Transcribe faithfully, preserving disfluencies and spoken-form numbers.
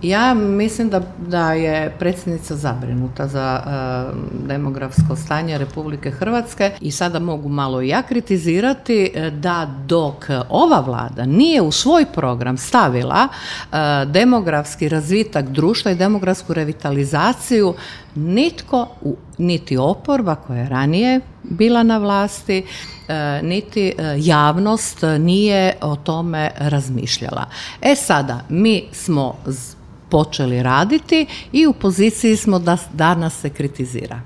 Ja mislim da, da je predsjednica zabrinuta za uh, demografsko stanje Republike Hrvatske i sada mogu malo i ja kritizirati da dok ova vlada nije u svoj program stavila uh, demografski razvitak društva i demografsku revitalizaciju, nitko, niti oporba koja je ranije bila na vlasti, niti javnost nije o tome razmišljala. E sada, mi smo počeli raditi i u poziciji smo da danas se kritizira.